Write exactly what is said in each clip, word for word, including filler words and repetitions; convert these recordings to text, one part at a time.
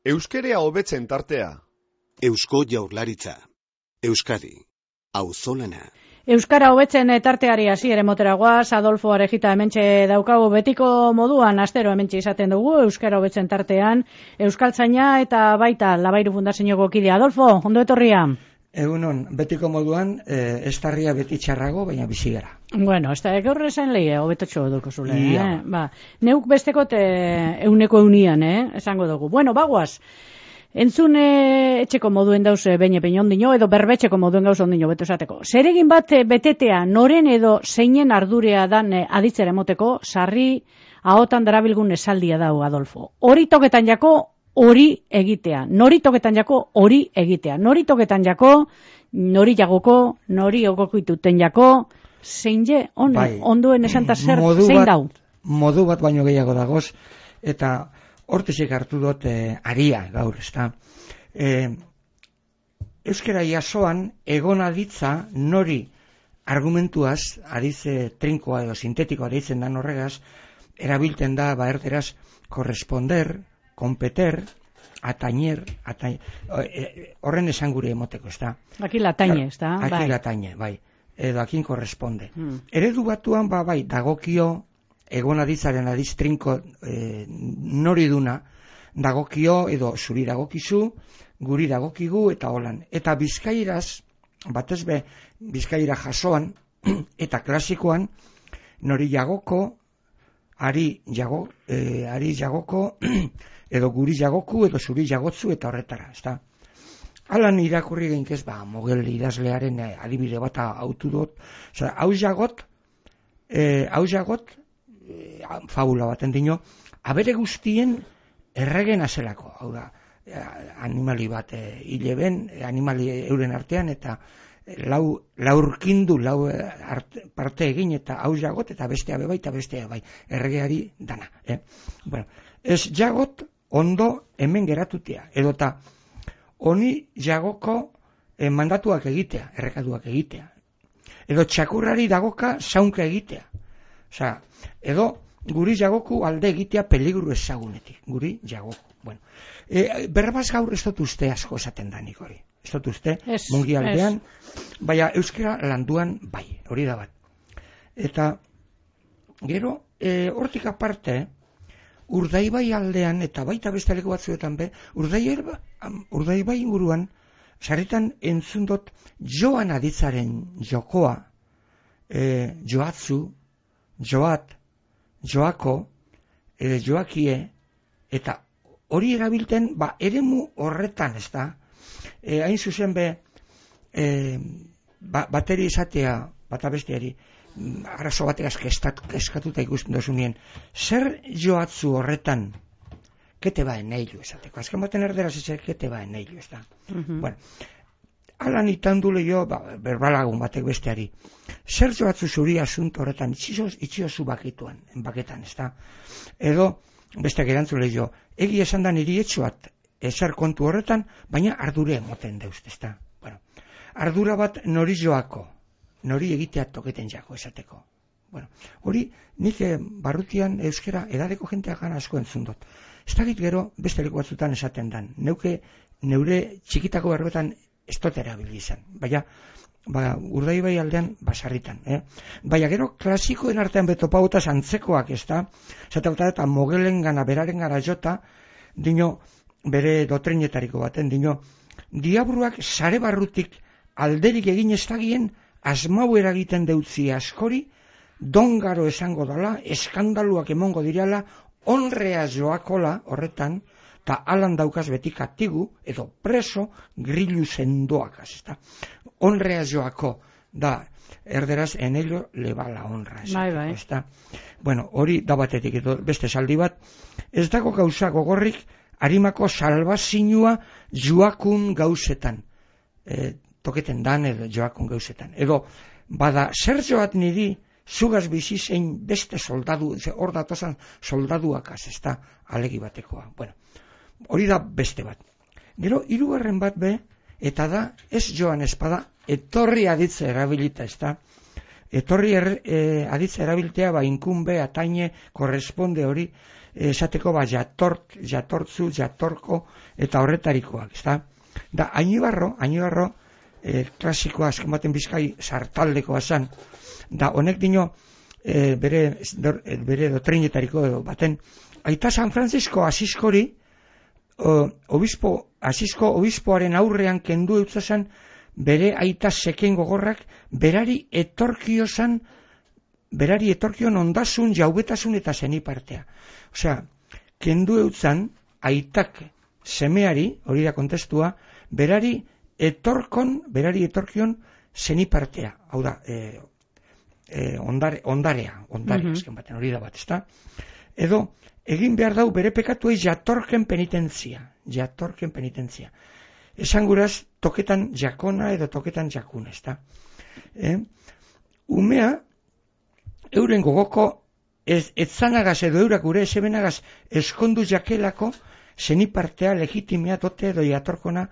Euskerea hobetzen tartea. Eusko Jaurlaritza. Euskadi. Auzolana. Euskara hobetzen tarteari hasiera motera goaz, Adolfo Arejita hementxe daukagu betiko moduan, astero hementxe izaten dugu, Euskara hobetzen tartean, Euskaltzaina eta baita Labairu Fundazioko kidea. Adolfo, ondo etorria? Egunon, betiko moduan, eh, estarria beti txarrago, baina bizi gara. Bueno, ez da, gaur esan lehi, hobetotxo duko zule, eh? Ba, neuk bestekot eh, euneko eunian, eh? Esango dugu. Bueno, bagoaz, entzun e, etxeko moduen dauz beine pein ondino, edo berbetxeko moduen gauz ondino, beto esateko. Zeregin bat betetea noren edo zeinen ardurea dan e, aditzera emoteko, sarri ahotan darabilgun esaldia dau, Adolfo. Hori toketan jako, hori egitea. Nori toketan jako, hori egitea. Nori toketan jako, nori jagoko, nori ogokituten jako, zein je, on, bai, onduen esanta zer, zein dau? Modu bat baino gehiago dagoz, eta hortezik hartu dut eh, aria gaur, ezta. Eh, Euskara jasoan egon aditza nori argumentuaz, adize trinkoa edo sintetikoa deitzen dan horregaz, erabilten da, ba erderaz, korresponder, kompeter, atañer, atañer, horren esan gure emoteko, ezta. Aki lataine, ezta. Aki bai. lataine, bai. Edo akin korresponde. Hmm. Eredu batuan, ba, bai, dagokio, egon aditzaren adiz trinko e, nori duna, dagokio edo zuri dagokizu, guri dagokigu eta holan. Eta bizkairaz, batez be, bizkaira jasoan, eta klasikoan, nori jagoko, ari, jago, e, ari jagoko, edo guri jagoku, edo zuri jagotzu, eta horretara, ezta. Alan irakurri geinkez, ba, Mogel idazlearen e, adibide bat autu dut, oza, hau jagot, e, hau jagot, fabula baten dino, abere guztien erregen azelako, hau da, animali bat e, hileben, animali euren artean, eta lau, laurkindu, lau arte, parte egin, eta hau jagot, eta bestea bebai, eta bestea bai, erregeari dana. Eh? Bueno, ez jagot ondo hemen geratutea, edota honi jagoko eh, mandatuak egitea, errekaduak egitea, edo txakurrari dagoka zaunka egitea. Osea, edo guri jagoku alde egitea peligru ezagunetik, guri jagoku. Bueno, e, berbaz gaur ez dut uste asko esaten danik hori. Ez dut uste, es, mungi aldean, es. Baina euskera landuan bai, hori da bat. Eta, gero, e, hortik aparte, Urdaibai aldean, eta baita beste leku batzuetan be, Urdaibai, Urdaibai inguruan, sarritan entzun dut joan aditzaren jokoa, e, joatzu, joat, joako, e, joakie, eta hori erabilten, ba, eremu horretan, ez da, e, hain zuzen be, e, ba, bateri izatea, bata besteari, arazo bategaz eskatuta ikusten dozunien, zer joatzu horretan, kete baen eilu esateko, azken baten erderaz ezer kete baen eilu, ez da. Uh-huh. Bueno, alan itan dule jo, ba, berbalagun batek besteari, zer joatzu zuri asunto horretan, itxiozu bakituan, baketan, ez da. Edo, besteak erantzule jo, egi esan da niri etxoat, ezer kontu horretan, baina ardure emoten deuz, ez da. Bueno, ardura bat nori joako, nori egitea toketen jako esateko. Bueno, hori nik barrutian euskera edadeko jentea gana asko entzun dut. Ez dakit gero beste leku batzutan esaten dan. Neuke neure txikitako berbetan ez dut erabili izan. Baina, ba, Urdaibai aldean basarritan. Eh? Baina gero klasikoen artean betopautas antzekoak ez da. Zaten eta Mogelen gana beraren gara jota, dino bere dotrinetariko baten, dino diabruak sare barrutik alderik egin ez dagien asmau eragiten deutzi askori, dongaro esango dala, eskandaluak emongo dirala, onrea joakola horretan, eta alan daukaz beti katigu, edo preso grillu sendoakaz, ezta. Onrea joako, da, erderaz, en ello le va la honra, bai, bai. Ezta. Bueno, hori da batetik, edo beste saldi bat, ez dago gauza gogorrik, harimako salbazinua joakun gauzetan, e, toketen dan edo joakun gauzetan. Edo, bada, zer joat niri, zugaz bizi zein beste soldadu, hor datozan soldaduakaz, ez da, alegi batekoa. Bueno, hori da beste bat. Gero, hirugarren bat be, eta da, ez joan espada, etorri aditze erabilita, ez da, etorri er, e, aditza erabiltea, ba, inkunbe, ataine, korresponde hori, esateko, ba, jatort, jatortzu, jatorko, eta horretarikoak, ezta? Da, Añibarro, Añibarro, e, klasikoa, azken baten Bizkai, sartaldekoa zan, da, honek dino, e, bere, dor, bere dotrinetariko baten, aita San Francisco Asiskori, obispo, Asisko obispoaren aurrean kendu eutzazan, bere aita seken gogorrak, berari etorkiozan, berari etorkion ondasun, jaubetasun eta zenipartea. Osea, kendu eutzan, aitak semeari, hori da kontestua, berari etorkon, berari etorkion zenipartea. Hau da, e, e, ondare, ondarea, ondare, mm-hmm. azken baten, hori da bat, ezta? Edo, egin behar dau bere pekatuei jatorken penitentzia, jatorken penitentzia. Esan guraz, toketan jakona edo toketan jakuna, ezta? Eh? Umea, euren gogoko, ez, etzanagaz edo eurak gure esebenagaz eskondu jakelako, zenipartea, legitimea, dote edo jatorkona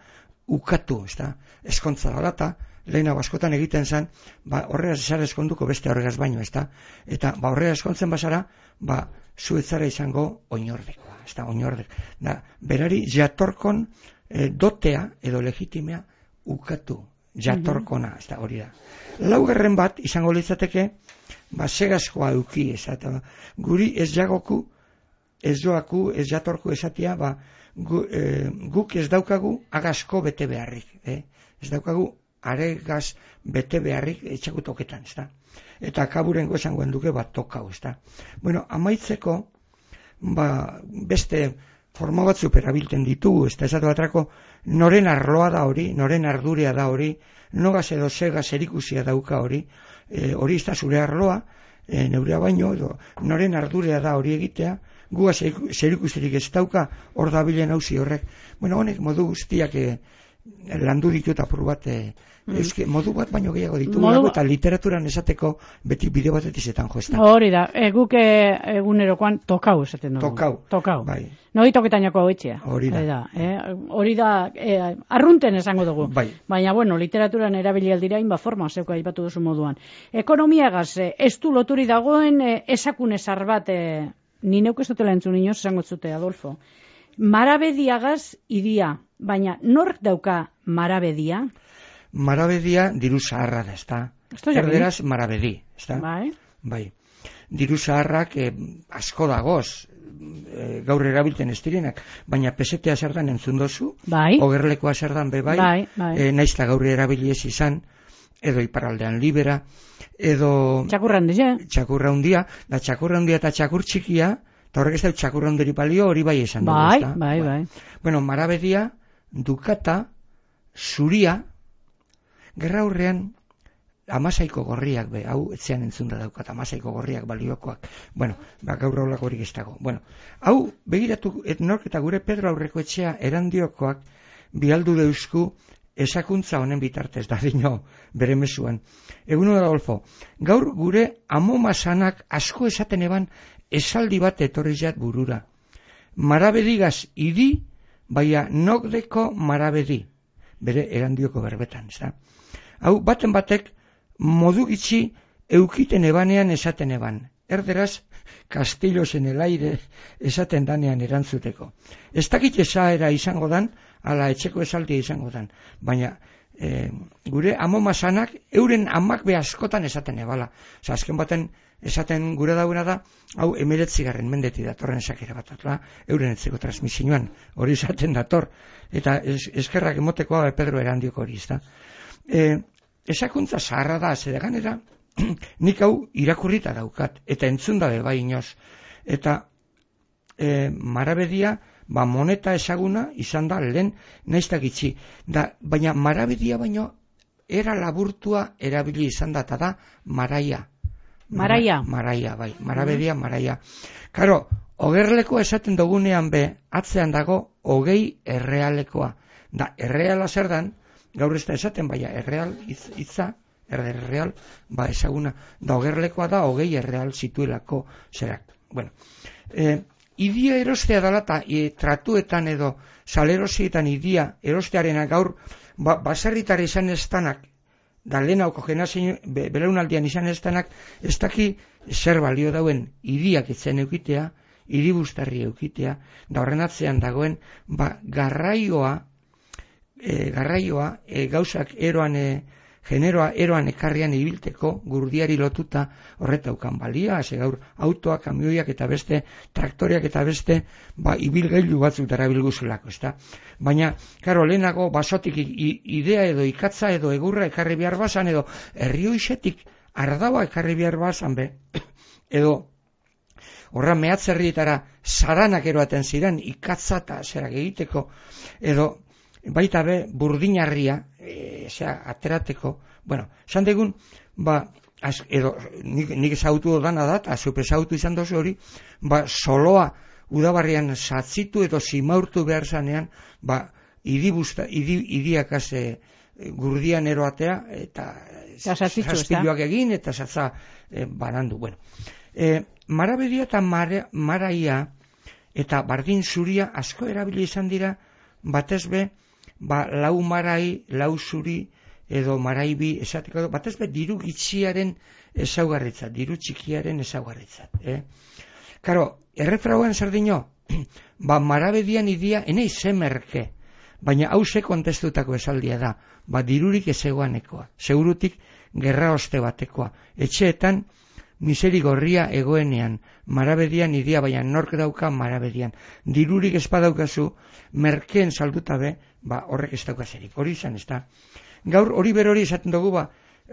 ukatu, ezta? Eskontza dalata, lehenago askotan egiten zen, ba, horregaz esara eskonduko beste horregaz baino, ezta? Eta, ba, horregaz eskontzen bazara, ba, zuetzara izango oinordekoa, ezta, oinordek. Da, berari jatorkon e, dotea edo legitimea ukatu, jatorkona, ez da, hori da. Laugarren bat, izango litzateke, ba, segazkoa euki, ez da, guri ez jagoku, ez joaku, ez jatorku esatia, ba, gu, e, guk ez daukagu agazko bete beharrik, eh? Ez daukagu aregaz bete beharrik etxaku toketan, ez da. Eta kaburengo esangoen duke bat tokau, ez da. Bueno, amaitzeko, ba, beste forma batzuk erabiltzen ditugu, ez da, ez batrako, noren arloa da hori, noren ardurea da hori, nogaz edo segaz erikusia dauka hori, e, hori ez da zure arloa, e, neurea baino, edo noren ardurea da hori egitea, guaz zerikusirik ez dauka, hor da bilen hauzi horrek. Bueno, honek modu guztiak e, landu ditu eta apur bat, e, Euske, modu bat baino gehiago ditu, modu... eta literaturan esateko beti bideo bat etizetan joestan. Hori da, e, guk egunerokoan tokau esaten dugu. Tokau. Tokau. Bai. Noi toketainako hau etxea. Hori da. Hori da, eh? Hori da eh, arrunten esango dugu. Bai. Baina, bueno, literaturan erabili aldira inba forma, zeuka aipatu duzu moduan. Ekonomiagaz, eh, ez du loturi dagoen eh, esakune zar bat, eh, ni neuk ez dutela entzun inoz esango zute, Adolfo. Marabediagaz idia, baina nork dauka marabedia? Marabedia diru zaharra da, ezta? Erderaz marabedi, ezta? Bai. Bai. Diru zaharrak eh, asko dagoz, eh, gaur erabiltzen ez direnak, baina pesetea zer dan entzun dozu, bai. Ogerlekoa zer dan be bai, bai, bai. Eh, naizta gaur erabili ez izan, edo iparraldean libera, edo... Txakurra handia. Txakurra handia, da txakurra handia eta txakur txikia, eta horrek ez da txakurra handeri palio, hori bai esan dugu, bai, ezta? Bai, bai, bai. Bueno, marabedia, dukata, zuria, gerra hurrean, amasaiko gorriak, be, hau etzean entzunda daukat, amasaiko gorriak baliokoak. Bueno, ba, gaur haulako horik ez dago. Bueno, hau, begiratu, et nork eta gure Pedro aurreko etxea erandiokoak bialdu deusku esakuntza honen bitartez, da dino, bere mesuan. Egun hori Adolfo, gaur gure amomasanak asko esaten eban esaldi bat etorri jat burura. Marabedigaz idi, baina nokdeko marabedi, bere erandioko berbetan, ez da? Hau, baten batek, modu gitxi eukiten ebanean esaten eban. Erderaz, Castillos en el aire esaten danean erantzuteko. Ez dakit esaera izango dan, ala etxeko esaldia izango dan. Baina, e, gure amomasanak, euren amak be askotan esaten ebala. Osa, azken baten esaten gure dauna da, hau emiretzigarren mendeti datorren esakera bat, atla, euren etzeko transmisioan, hori esaten dator. Eta es, eskerrak emoteko hau Pedro erandioko hori, ez da. E, esakuntza zaharra da, zedeganera, nik hau irakurrita daukat, eta entzun dabe bai inoz. Eta e, marabedia, ba moneta esaguna izan da lehen naiztak itxi. Da, baina marabedia baino era laburtua erabili izan da, eta da maraia. Maraia. Maraia, bai, marabedia, maraia. Karo, ogerleko esaten dugunean be, atzean dago hogei errealekoa. Da, erreala zer dan, gaur ez da esaten, baina erreal hitza, erreal, ba esaguna, da ogerlekoa da hogei erreal zituelako zerak. Bueno, e, idia erostea dala eta e, tratuetan edo salerosietan idia erostearena gaur ba, baserritar izan estanak da lehenauko generazio be, belaunaldian izan ez denak, ez daki zer balio dauen hiriak itzen eukitea, hiribustarri eukitea, da horren atzean dagoen, ba, garraioa, e, garraioa, e, gauzak eroan, e, generoa eroan ekarrian ibilteko gurdiari lotuta horretaukan balia, ze gaur autoak, kamioiak eta beste, traktoriak eta beste, ba, ibilgailu batzuk darabilguzulako, ezta? Baina, karo, lehenago basotik idea edo ikatza edo egurra ekarri behar bazan, edo herrioixetik ardaua ekarri behar bazan be, edo horra mehatzerrietara zaranak eroaten ziren ikatza eta zerak egiteko, edo baita be burdinarria, e, zera, aterateko, bueno, esan degun, ba, az, edo, nik, nik ezautu dana da, eta zupe ezautu izan dozu hori, ba, soloa udabarrian zatzitu edo zimaurtu behar zanean, ba, idibusta, idi, idiakaz e, gurdian eroatea, eta zazpiluak egin, eta zatza e, banandu, bueno. E, marabedia eta mara, maraia, eta bardin zuria asko erabili izan dira, batez be, ba, lau marai, lau zuri, edo maraibi, esateko, batez be, diru gitxiaren ezaugarritzat, diru txikiaren ezaugarritzat. Eh? Karo, errefrauen zer dino, ba, marabedian idia, enei zemerke, baina hause kontestutako esaldia da, ba, dirurik ezegoanekoa, segurutik gerra oste batekoa, etxeetan, miseri gorria egoenean, marabedian idia, baina nork dauka marabedian. Dirurik espadaukazu, merkeen salduta be, ba, horrek ez daukazerik. Hori izan, ez da. Gaur hori berori esaten dugu, ba,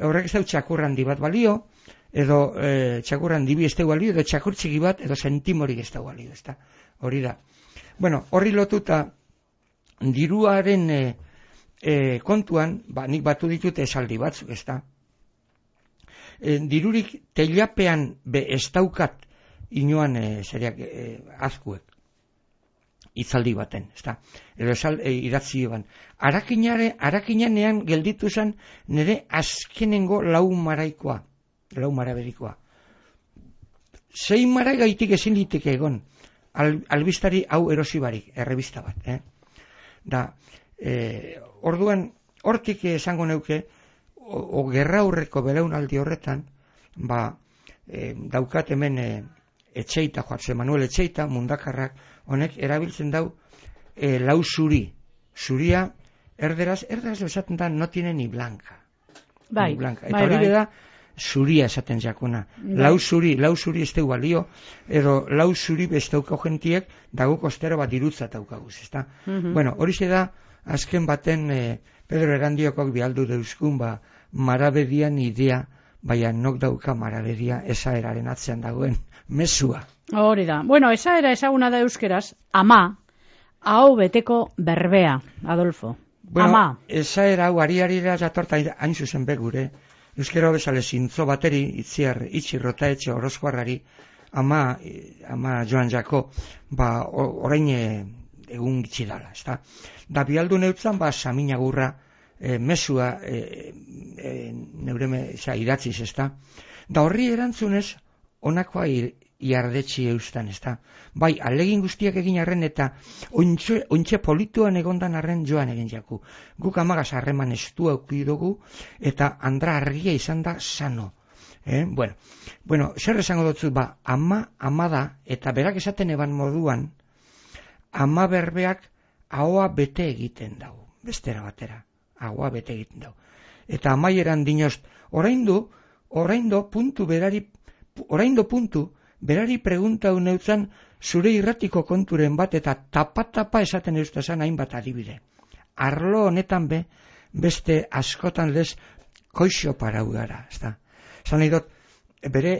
horrek ez dau txakurran di bat balio, edo e, txakurran dibi ez dau balio, edo txakur txiki bat, edo sentimorik ez dau balio, ez da. Hori da. Bueno, horri lotuta, diruaren e, e, kontuan, ba, nik batu ditut esaldi batzuk, ez da. E, dirurik teilapean be ez daukat inoan e, zeriak e, azkuek itzaldi baten, ezta? Edo esal e, idatzi ban. Arakinare, arakinanean gelditu zen nire azkenengo lau maraikoa, lau maraberikoa. Sei marai gaitik ezin liteke egon, al, albistari hau erosi barik, errebista bat, eh? Da, e, orduan, hortik esango neuke, o, o gerra aurreko belaunaldi horretan, ba, e, daukat hemen e, Etxeita, Joatze Manuel Etxeita, mundakarrak, honek erabiltzen dau e, lau zuri. Zuria, erderaz, erderaz esaten da, no tiene ni blanca. Bai, ni blanca. Eta bai, hori bai. da, zuria esaten jakuna. Bai. Lau zuri, lau zuri ez teu balio, edo lau zuri ez dauka jentiek, dago kostero bat dirutza daukaguz, ezta? Mhm. Bueno, hori da, azken baten, e, Pedro Erandiokok bialdu deuzkun, ba, marabedian idea, baina nok dauka marabedia esaeraren atzean dagoen mezua. Hori da. Bueno, esaera ezaguna da euskeraz, ama, hau beteko berbea, Adolfo. Bueno, ama. Esaera hau ari-arira jatorta hain zuzen begure, euskera bezale zintzo bateri, itziar, itxirrota etxe orozkoarrari, ama, ama Joan Jako, ba, orain egun gitxi dala, ezta? Da bialdu neutzan, ba, saminagurra, E, mesua e, e, neure me, xa, idatziz, ezta? Da horri erantzunez, onakoa iardetxi eustan, ezta? Bai, alegin guztiak egin arren eta ontxe, ontxe polituan egondan arren Joan egin jaku. Guk amagaz harreman estu auki dugu eta andra argia izan da sano. Eh? Bueno, bueno, zer esango dutzu, ba, ama, ama da, eta berak esaten eban moduan, ama berbeak ahoa bete egiten dago, bestera batera. Agua bete egiten dau. Eta amaieran dinost, oraindu, oraindu puntu berari, oraindu puntu berari pregunta uneutzan zure irratiko konturen bat eta tapa-tapa esaten eustazan hainbat adibide. Arlo honetan be, beste askotan lez koixo parau gara, ezta. Zan nahi dut, bere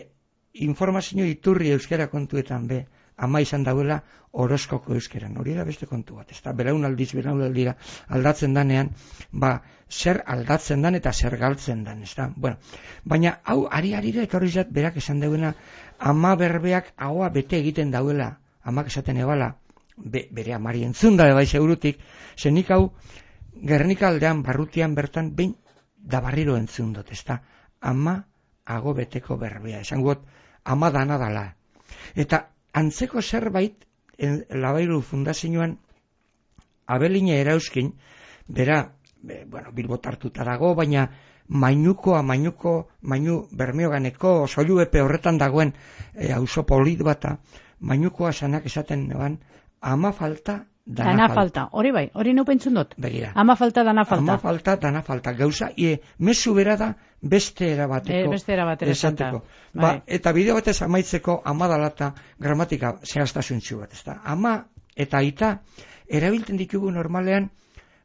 informazio iturri euskera kontuetan be, ama izan dauela horoskoko euskeran. Hori da beste kontu bat, ezta? Belaunaldiz, belaunaldira aldatzen danean, ba, zer aldatzen dan eta zer galtzen dan, ezta? Bueno, baina hau ari-arira etorri zat berak esan dauena, ama berbeak ahoa bete egiten dauela, amak esaten ebala, be, bere amari entzun da bai segurutik, zenik hau Gernika aldean barrutian bertan behin da barriro entzun dut, ezta? Ama ago beteko berbea, esan got, ama dana dala. Eta antzeko zerbait, Labairu fundazioan, Abeline erauzkin, bera, be, bueno, Bilbo tartuta dago, baina mainukoa, mainuko, mainu bermioganeko, soiluepe horretan dagoen e, auzo polit bata, mainukoa sanak esaten neban, ama falta, dana, dana falta. falta. Hori bai, hori nu pentsun dut. Begira. Ama falta, dana falta. Ama falta, dana falta. Gauza, e, mezu bera da beste erabateko. E, beste erabateko. Esateko. Ba, eta bideo batez amaitzeko ama dalata gramatika zehaztasuntxu bat, ezta. Ama eta aita erabiltzen ditugu normalean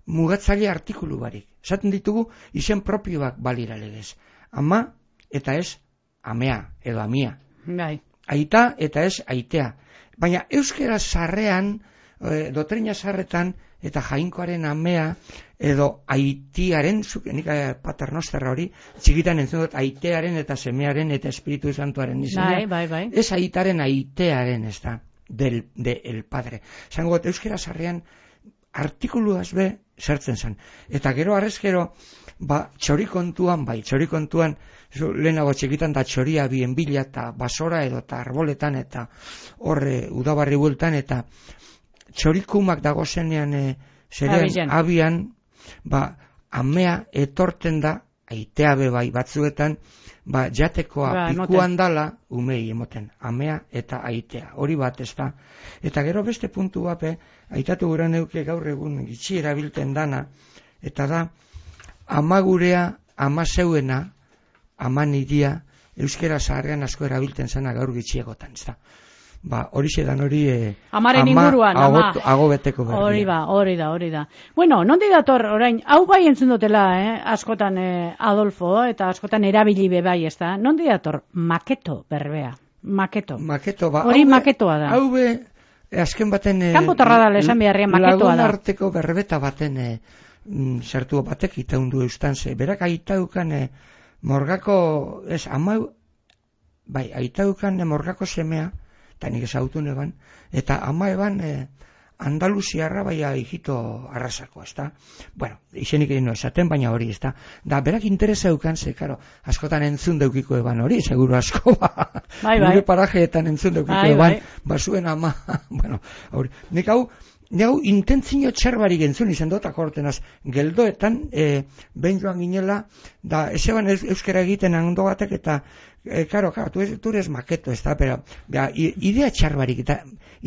mugatzaile artikulu barik. Esaten ditugu izen propioak balira legez. Ama eta ez amea edo amia. Bai. Aita eta ez aitea. Baina euskera sarrean, e, dotrina sarretan eta jainkoaren amea edo aitiaren, nik paternosterra hori, txikitan entzun dut aitearen eta semearen eta espiritu santuaren izena. Bai, bai, bai. Ez aitaren aitearen ez da, del, de el padre. Zango, euskera sarrean artikuluaz be sartzen zen. Eta gero arrezkero, ba, txori kontuan, bai, txori kontuan, lehenago txikitan da txoria bien bila eta basora edo eta arboletan eta horre udabarri bueltan eta txorikumak dago zenean e, zerean abian, ba, amea etorten da, aitea be bai batzuetan, ba, jatekoa ba, pikuan dala, umei emoten, amea eta aitea, hori bat ez da. Eta gero beste puntu bape, aitatu gura neuke gaur egun gitxi erabilten dana, eta da, ama gurea, ama zeuena, ama nidia, euskera zaharrean asko erabilten zena gaur gitxiegotan, ez da. Ba, hori xedan hori eh, amaren inguruan, ama agobeteko berdia. Hori ba, hori da, hori da. Bueno, nondi dator orain, hau bai entzun dutela, eh? askotan eh, Adolfo, eta askotan erabili be bai, ez da? Nondi dator, maketo berbea, maketo. Maketo, ba. Hori maketoa da. Hau be, azken baten... Eh, Kanpotarra da lesan beharrian maketoa da. Lagun arteko berbeta baten eh, zertu batek itaundu eustan ze. Berak aitaukan eh, morgako, ez, ama, bai, aitaukan eh, morgako semea, eta nik ezautu neban, eta ama eban eh, Andaluziarra baia hijito arrasako, ez da? Bueno, izenik egin no esaten, baina hori, ez da? Da, berak interesa eukan, ze, karo, askotan entzun deukiko eban hori, seguro asko, ba, bai, bai. gure parajeetan entzun deukiko bai, eban, bai. basuen ama, bueno, hori, nik hau, nik hau intentzio txarbarik entzun izan dut, akortenaz, geldoetan, e, behin joan ginela, da, ez eban euskera egiten ondo batek, eta, E, karo, karo, tu, tu eres maketo, ez da, pero, ja, idea txarbarik, eta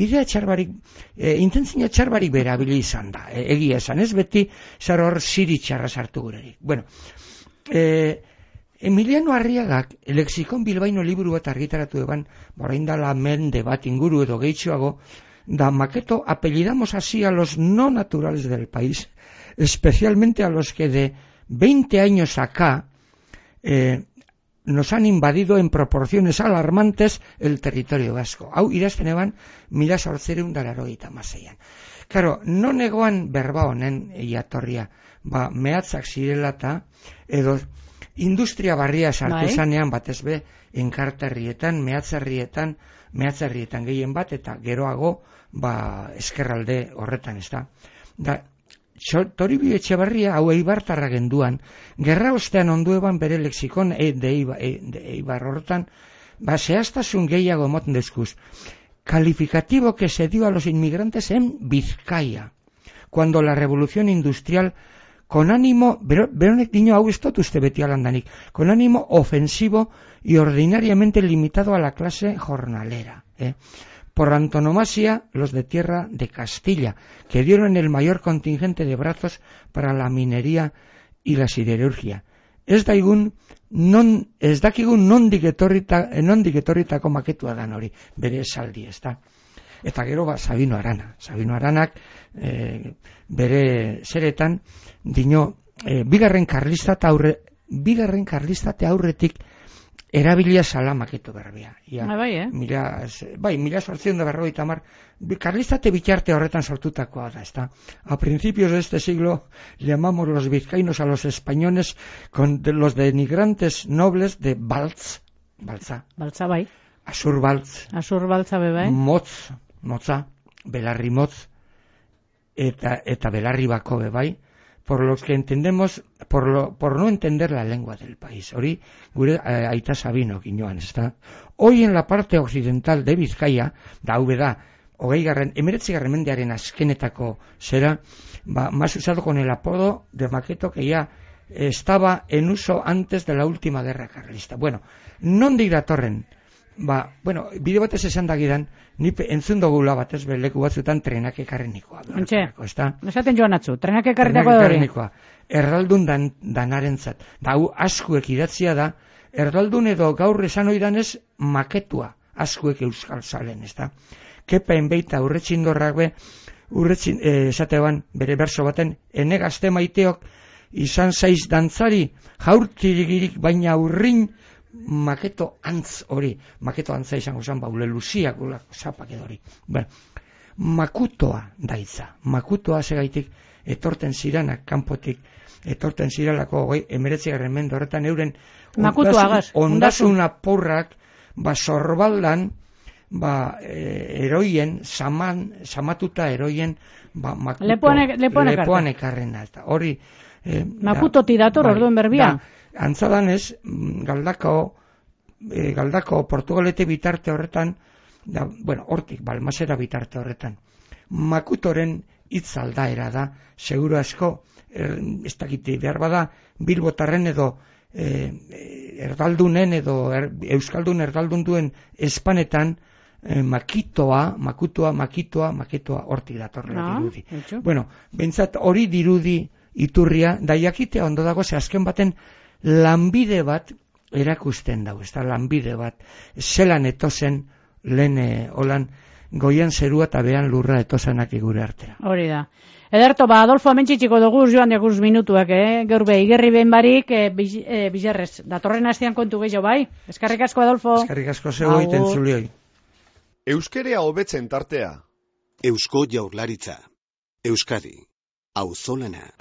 idea txarbarik, e, intentzio txarbarik bera abili izan da, e, egia esan, ez beti, zar hor ziri txarra sartu gurerik. Bueno, e, Emiliano Arriagak, Lexikon Bilbaino liburu bat argitaratu eban, orain dala mende bat inguru edo gehitxoago, da maketo apellidamos así a los no naturales del país, especialmente a los que de veinte años acá, eh, nos han invadido en proporciones alarmantes el territorio vasco. Hau idazten eban, mila sortzereun dalarogeita hamaseian. Karo, no negoan berba honen iatorria, ba, mehatzak zirela eta, edo industria barria sartu zanean, batez be, enkarterrietan, mehatzerrietan, mehatzerrietan gehien bat, eta geroago, ba, eskerralde horretan, ez da. Da, Toribio Etxebarria, hau eibartarra genduan, gerra ostean ondueban bere lexikon e, de, eiba, e, de eibar horretan, ba, zehaztasun gehiago moten deskuz. Calificativo que se dio a los inmigrantes en Vizcaya, cuando la revolución industrial, con ánimo, beronek dino hau estot uste beti alandanik, con ánimo ofensivo y ordinariamente limitado a la clase jornalera, eh. Por antonomasia, los de tierra de Castilla, que dieron el mayor contingente de brazos para la minería y la siderurgia. Ez daigun, non, ez dakigun nondik etorrita, nondik etorritako maketua dan hori, bere esaldi, ez da. Eta gero, ba, Sabino Arana. Sabino Aranak, e, bere zeretan, dino, e, bigarren karlistate aurre, bigarren karlistate aurretik, erabilia sala maketo berbea. Ja, ah, bai, eh? Mila, bai, mila sortzion da berrogeita hamar, karlistate bitarte horretan sortutakoa da, ezta. A principios de este siglo llamamos los vizcaínos a los españoles con de los denigrantes nobles de Baltz, Baltza. Baltza, bai. Asur Baltz. Asur Baltza, bai. Motz, Motza, Belarri Motz, eta, eta Belarri Bako, bai. Por los que entendemos, por, lo, por no entender la lengua del país. Hori, gure eh, aita Sabino ginoan, ezta. Hoy en la parte occidental de Vizcaya, da hau da, hogei garren, emeretzi garren mendearen azkenetako zera, ba, más usado con el apodo de maqueto que ya estaba en uso antes de la última guerra carlista. Bueno, nondik datorren? Ba, bueno, bide batez esan dagidan, ni entzun dugula batez leku batzutan trenak ekarrenikoa. Ontxe, esaten joan atzu, trenak ekarritako hori. Erraldun dan, danarentzat. Da, hau askuek idatzia da, erraldun edo gaur esan oidanez maketua, askuek euskal zalen, ez da. Kepain beita urretxindorrak be, urretxin, eh, esatean bere berso baten, ene gazte maiteok izan zaiz dantzari, jaurtirigirik baina urrin, maketo antz hori, maketo antza izango zen, baule luziak, zapak edo hori. Bueno, makutoa daitza, makutoa segaitik etorten ziranak, kanpotik, etorten ziralako, goi, emeretzigarren mende horretan euren, ondasun apurrak, ba, sorbaldan, ba, e, eroien, saman, samatuta eroien, ba, makuto, lepoan, lepoan, lepoan ekarrena, eta hori, eh, makutoti dator, bai, orduen berbia. Antzadan ez, galdako, e, galdako portugalete bitarte horretan, da, bueno, hortik, balmasera bitarte horretan, makutoren hitz aldaera da, seguru asko, er, ez dakiti behar bada, bilbotarren edo, e, erdaldunen edo, er, euskaldun erdaldun duen espanetan, e, makitoa, makutoa, makitoa, makitoa, hortik datorrela no, dirudi. Etxo. Bueno, bentsat hori dirudi iturria, da jakitea ondo dago, ze azken baten, lanbide bat erakusten dago, ez da lanbide bat, zelan etozen lehen e, holan goian zerua eta behan lurra etosanak igure artera. Hori da. Ederto, ba, Adolfo amentxitxiko dugu joan deguz minutuak, eh? Gaur be, igerri behin barik, eh, biz, eh, bizarrez, datorren hastean kontu gehiago, bai? Eskarrik asko, Adolfo. Eskarrik asko zeu egiten zulioi. Euskerea hobetzen tartea. Eusko Jaurlaritza. Euskadi. Auzolana.